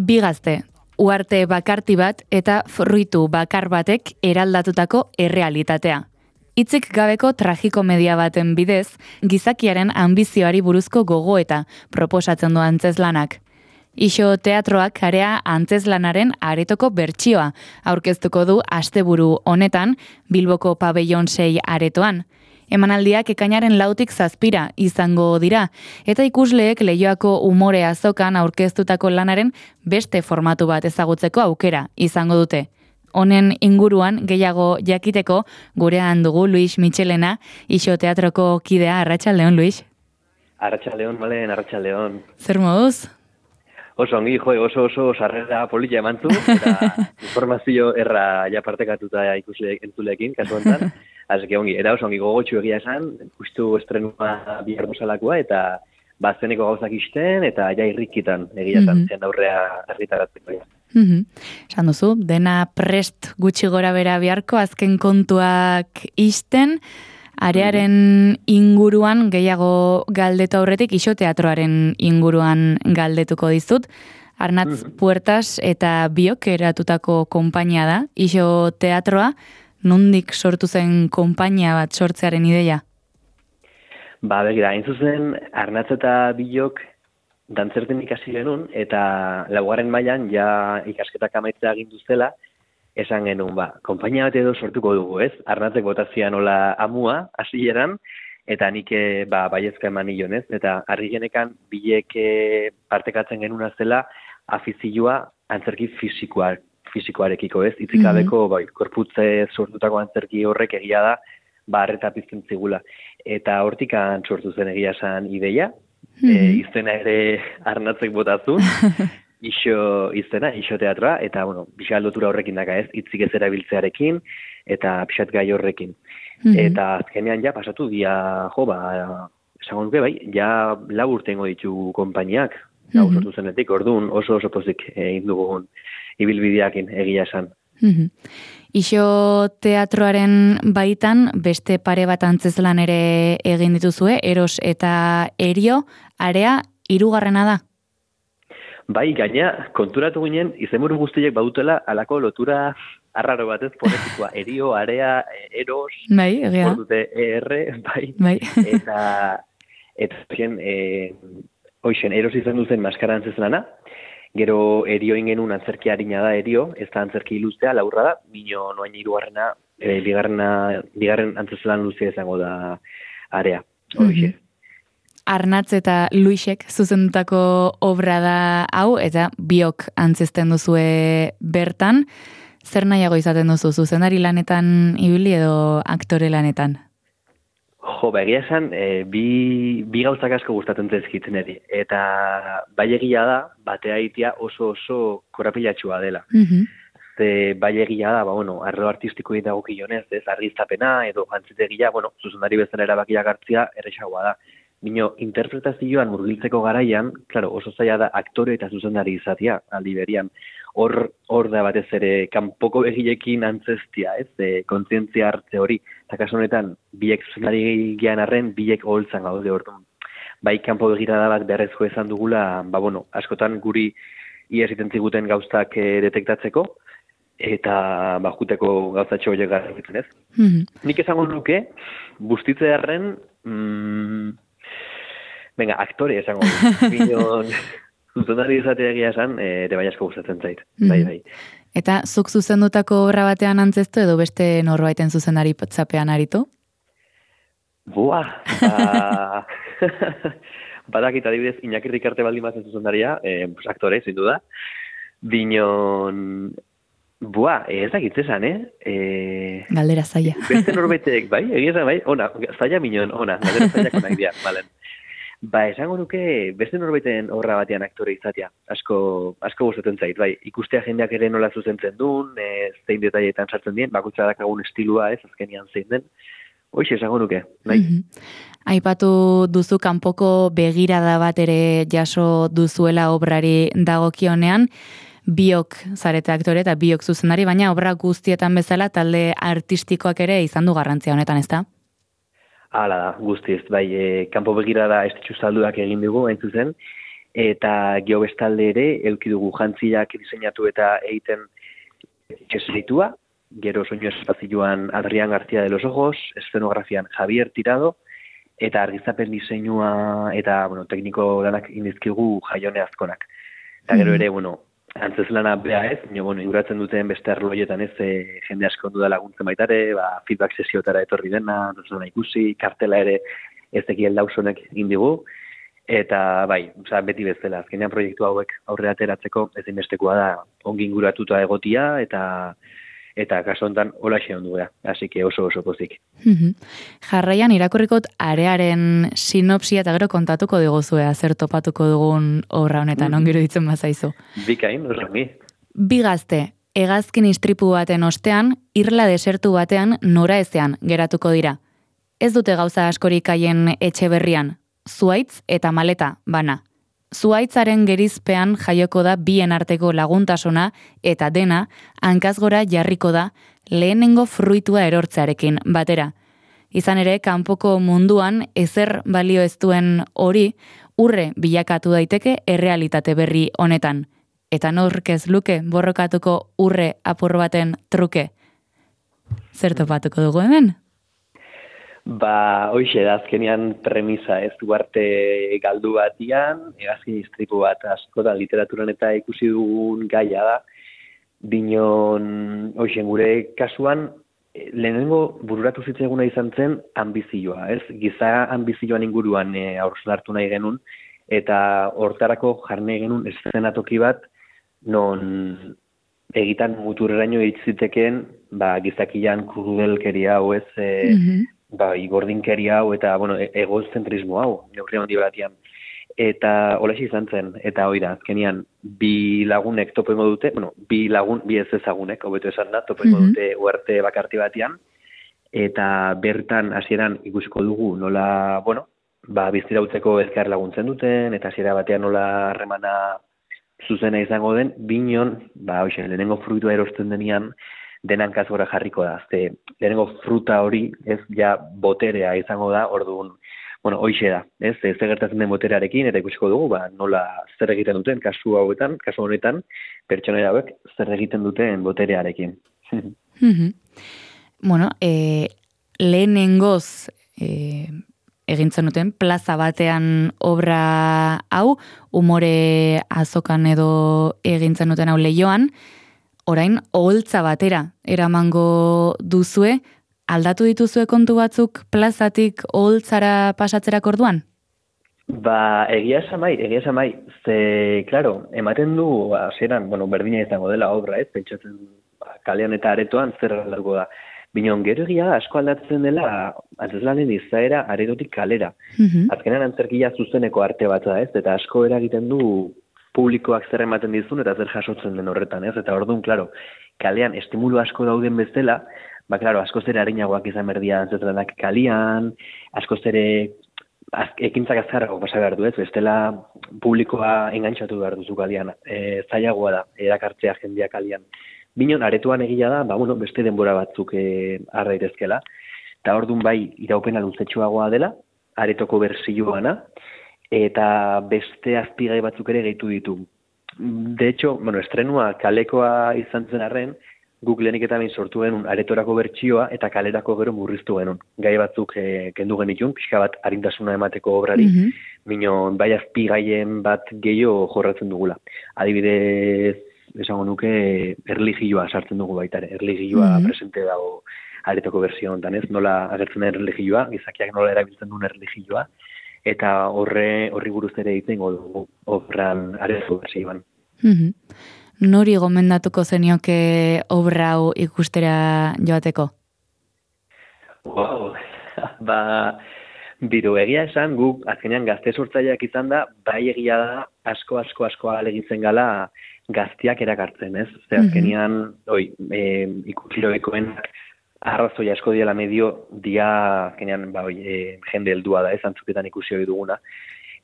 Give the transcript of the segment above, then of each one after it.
Bi gazte, uharte bakarti bat eta fruitu bakar batek eraldatutako errealitatea. Hitzik gabeko tragikomedia baten bidez, gizakiaren anbizioari buruzko gogoeta proposatzen du antzezlanak. Ixo teatroak area antzezlanaren aretoko bertsioa aurkeztuko du asteburu honetan Bilboko Pabellon 6 aretoan. Emanaldiak ekainaren 4tik 7 izango dira, eta ikusleek Leioako umore azokan aurkeztutako lanaren beste formatu bat ezagutzeko aukera izango dute. Honen inguruan gehiago jakiteko gurean dugu Luis Michelena, Ixo teatroko kidea. Arratsaldeon, Luis. Arratsaldeon, Malen, arratsaldeon. Zer moduz? Oso ongi, oso sarrera polita emantu, eta informazio erra ja partekatuta ikusleek entzuleekin, kasu honetan. Así ongi, era oso ongi gogotsu egia esan, justu estrenua bihar duzalakoa, eta bazeneko gauzak isten, eta ja irrikitan egia esan, zen aurrea argitaratzeko. Esan duzu, dena prest gutxi gora bera biharko, azken kontuak isten, arearen inguruan gehiago galdetu aurretik, Ixo teatroaren inguruan galdetuko dizut. Arnatz Puertas eta biok eratutako konpainia da, Ixo teatroa. Nondik sortu zen konpainia bat sortzearen ideia? Begira, hain zuzen, Arnatz eta biok dantzerten ikasi genuen, eta laugarren mailan ja ikasketak amaitzea agindu zela, esan genuen, konpainia bat edo sortuko dugu, ez? Arnatzek botazia nola amua, hasieran, eta nik baiezka eman nion, ez? Eta argi genekan bilek partekatzen genuna zela afizioa antzerki fisikoarekiko, ez? Itzikabeko, korputze sortutako antzerki horrek egia da, arreta pizten zigula. Eta hortikan sortu zen egia esan ideia, izena ere Arnatzek botazun, Ixo izena, Ixo teatroa, eta, pixat lotura horrekin daka ez, hitzik ez erabiltzearekin, eta pixat gai horrekin. Eta azkenean ja pasatu dia, esango nuke ja 4 urtengo ditu konpainiak, sortu zenetik, orduan oso pozik egin dugun ibilbideakin egia esan. Ixo teatroaren baitan beste pare bat antzezlan ere egin dituzue, Eros eta Erio, area 3. da. Gaina, konturatu ginen, izenburu guztiek badutela alako lotura arraro batez, fonetikoa, Erio, area, Eros, egia. Dute ER, Eta Eros izan duzen maskara antzezlana, gero Erio ingenun antzerki harina da Erio, ez da antzerki luzea, laurra da, bino noain 3. bigarren antzezlan luzea izango da area. Arnatz eta Luisek zuzendutako obra da hau, eta biok antzesten duzue bertan. Zer nahiago izaten duzu, zuzendari lanetan ibili edo aktore lanetan? Egia esan, bi gauzak asko gustatzen zaizkitzen eri. Eta bai egia da, batea itia oso korapilatxua dela. Bai egia da, arlo artistikoei dagokionez, ez argiztapena edo jantzitegia, zuzendari bezala erabakiak hartzia erresagoa da. Bino, interpretazioan murgiltzeko garaian, oso zaila da aktore eta zuzendari izatea, aldi berian. Hor da batez ere, kanpoko begilekin antzestia, ez? Kontzientzia hartze hori. Eta kasu honetan, biek zuzendari gehan arren, biek oholtzan gaude orduan. Bai, kanpo begirada bat beharrezko izan dugula, askotan guri ies iten ziguten gauztak detektatzeko, eta juteko gauzatxo horiek garritzen, ez? Nik esango nuke, bustitze arren, aktore esango binon zuzendari izatea egia esan, ere bai asko gustatzen zait. Bai. Eta zuk zuzendutako obra batean antzestu edo beste norbaiten zuzendari potzapean aritu? Badakit adibidez, Iñaki Rikarte baldin bazen zuzendaria, aktore, zindu da. Binon, ez dakit esan, Galdera zaila. Beste norbaitek, egia esan, ona, zaila minon, ona, galdera zaila konak dira, balen. Esango nuke beste norbaiten obra batean aktore izatea, asko gustatzen zait, ikustea jendeak ere nola zuzentzen duen, zein detailetan sartzen dien, bakutza dakagun estilua ez, azkenian zein den, hoxe esango nuke, nahi. Aipatu duzu kanpoko begirada bat ere jaso duzuela obrari dagokionean, biok zarete aktore eta biok zuzendari, baina obra guztietan bezala talde artistikoak ere izan du garrantzia honetan, ezta? Hala da, guztiz, kanpo begirada estitxu salduak egin dugu, hain zuzen, eta gero bestalde ere, eduki dugu jantziak diseinatu eta egiten eseritua, gero soinu espazioan Adrián García de los Ojos, eszenografian Javier Tirado, eta argizapen diseinua eta tekniko lanak indizkigu Jaione Azkonak. Eta gero ere, antzeslana bea ez, inguratzen duten beste arlo horietan ez, jende asko ondu da laguntzen baitare, feedback sesiotara etorri dena, ikusi, kartela ere ez ekiel dausonek indigu, eta beti bezala, azkenean proiektu hauek aurrera ateratzeko ezinbestekoa da ongi inguratuta egotia, eta kaso honetan holaxe ondu gara, así que oso pozik. Jarraian irakurrikot arearen sinopsia eta gero kontatuko diguzue zer topatuko dugun obra honetan, ongiro ditzen bazaizu. Bikain, osangi. Bi gazte, hegazkin istripu baten ostean, irla desertu batean noraezean geratuko dira. Ez dute gauza askorik haien etxe berrian, zuaitz eta maleta bana. Zuaitzaren gerizpean jaioko da bien arteko laguntasuna eta dena hankazgora jarriko da lehenengo fruitua erortzearekin batera. Izan ere, kanpoko munduan ezer balio ez duen hori urre bilakatu daiteke errealitate berri honetan. Eta nork ez luke borrokatuko urre apur baten truke. Zer topatuko dugu hemen? Hoxe da, azkenean premisa ez duarte galdu batian, hegazkin istripu bat askotan literaturan eta ikusi dugun gaia da, binon, hoxen gure kasuan, lehenengo bururatu zitzaiguna izan zen ambizioa, ez? Giza ambizioan inguruan haurtzalartu nahi genuen, eta hortarako jarne genuen eszenatoki bat, non egitan muturreraino itziteken, gizakian krudelkeria hau ez, igordinkeria hau eta, egozentrismo hau, neurri handi batian. Eta holaxe izan zen, eta hori da, azkenian, bi lagunek topo ingo dute, bi ez ezagunek, hobeto esan da, topo ingo dute uarte bakarti batian, eta bertan hasieran ikusiko dugu nola, biztira utzeko elkar laguntzen duten, eta hasiera batean nola harremana zuzena izango den, binon, lehenengo fruitua erosten denean, denan kazgora jarriko da. Lehenengo fruta hori, ez ja boterea izango da, orduan, hoxe da, ez gertatzen den boterearekin, eta ikusiko dugu, nola zer egiten duten, kasu honetan, pertsonera hauek zer egiten duten boterearekin. Lehenengoz egintzen duten, plaza batean obra hau, umore azokan edo egintzen duten hau Leioan, orain, oholtza batera eramango duzue, aldatu dituzue kontu batzuk plazatik oholtzara pasatzerak orduan? Egia esan bai, ze, klaro, ematen du, hasieran, berdina izango dela obra, ez, pentsatzen kalean eta aretoan zer aldarko da. Binon, gero egia asko aldatzen dela, antzeslanen izaera aretotik kalera. Azkenean antzerkia zuzeneko arte bat da, ez, eta asko eragiten du publikoak zer ematen dizun eta zer jasotzen den horretan, ez? Eta orduan, klaro, kalean estimulu asko dauden bezala, askoz ere arinagoak izan berdia antzeslanak kalian, askoz ere ekintzak azkarrago pasa behar du, ez? Bestela publikoa engantxatu behar duzu kalian, zailagoa da, erakartzea jendea kalian. Binon, aretuan egia da, beste denbora batzuk har daitezkela, eta orduan iraupena luzetxoagoa dela, aretoko bersioana, eta beste azpigai batzuk ere gehitu ditu. De hecho, estrenua kalekoa izan zen arren, guk lehenik eta behin sortu genuen aretorako bertsioa eta kalerako gero murriztu genuen. Gai batzuk kendu genitun, pixka bat arintasuna emateko obrari, minon azpigaien bat gehiago jorratzen dugula. Adibidez, esango nuke erligioa sartzen dugu baita ere. Erligioa presente dago aretoko bersio honetan, ez? Nola agertzen den erligioa, gizakiak nola erabiltzen duen erligioa, eta horri buruz ere egiten dugu obran areto bersioan. Nori gomendatuko zenioke obra hau ikustera joateko? Bidu, egia esan, guk azkenean gazte sortzaileak izan da, egia da asko alegitzen gala gaztiak erakartzen, ez? Azkenean, ikusiroekoen arrazoi asko diala medio dia azkenean jende heldua da, ez, antzuketan ikusi hori duguna.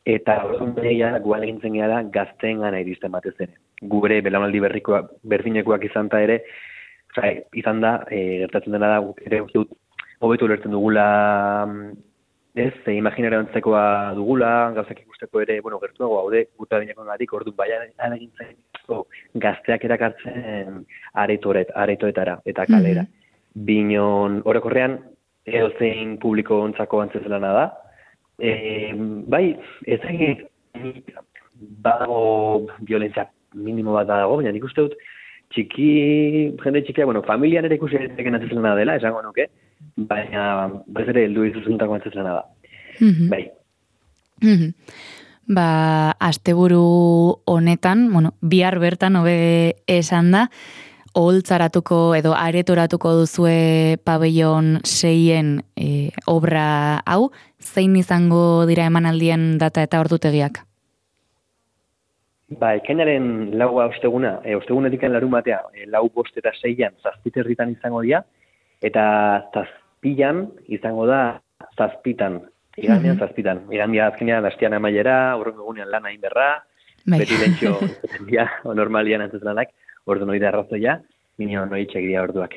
Eta horregia guan egintzen gara gazteen gana iristen batez ere. Gure belaunaldi berdinekoak izan da ere, izan da, gertatzen dena da, ere hobetu ulertzen dugula ez, imaginera antzekoa dugula, gauzak ikusteko ere, bueno, gertuago haude, guta binekoengatik, orduan bai alegintzen gazteak erakartzen aretoetara eta kalera. Binon, orokorrean, edozein publiko ontzako antzezelana da. Bai, ez egin, badago violentzia minimo bat dago, baina nik uste dut, jende txikia, bueno, familian ere ikusi egiten antzezelana dela, esango nuke, baina bez ere heldu dituzuntako antzezelana da. Bai. Ba, asteburu honetan, bueno, bihar bertan hobe esan da, oholtzaratuko edo aretoratuko duzue pabellon 6en obra hau, zein izango dira emanaldien data eta ordutegiak? Ba, ekainaren 4 ostegunetik larunbatea, 4, 5 eta 6an 7:30 izango dira, eta 7an izango da 7:00. Igandean 7:00. Igandia azkenean astean amaiera, urrengo egunean lana egin berra, beti lentxo izaten dira, normalian antzeslanak, ordu noi da arrazoia, minio noi txek dira orduak.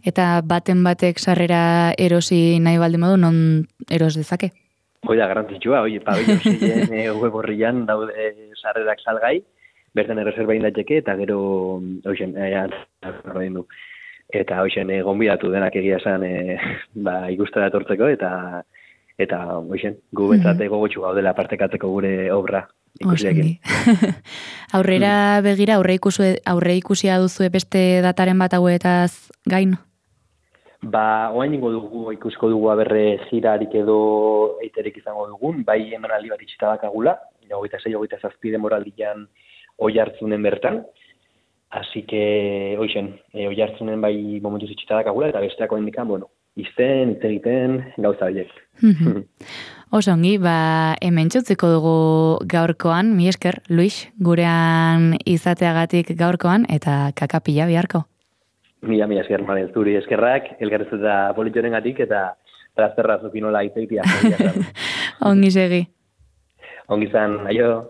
Eta baten batek sarrera erosi nahi baldin modu, non eros dezake? Hoi da, garrantzitsua, pabellon 6en web horrian daude sarrerak salgai, bertan erreserba indatxeke, eta gero, eta hoxen gonbidatu denak egia esan ikustera etortzeko, eta hoxen, gu bentsate gogotxu gaudela partekatzeko gure obra ikusiakin. Aurrera begira, aurre ikusia duzu beste dataren bat hauetaz gain? Ba, oain ikusko dugu aberre jirarik edo eiterik izango dugun, bai emanaldi bat itxita dakagula, 26-27 denboraldian Oiartzunen bertan, así que, Oiartzunen bai momentuz itxita dakagula, eta besteako indikan, bueno, izten, hitz egiten, gauza horiek. Osongi, ba, hemen txutziko dugu gaurkoan, mi esker, Luis, gurean izateagatik gaurkoan, eta kakapila biharko. Mila esker, Maren, zuri eskerrak, elgarrez eta politxorengatik, eta trazterra zupinola itzeitia. Ongi segi. Ongi zan, aio.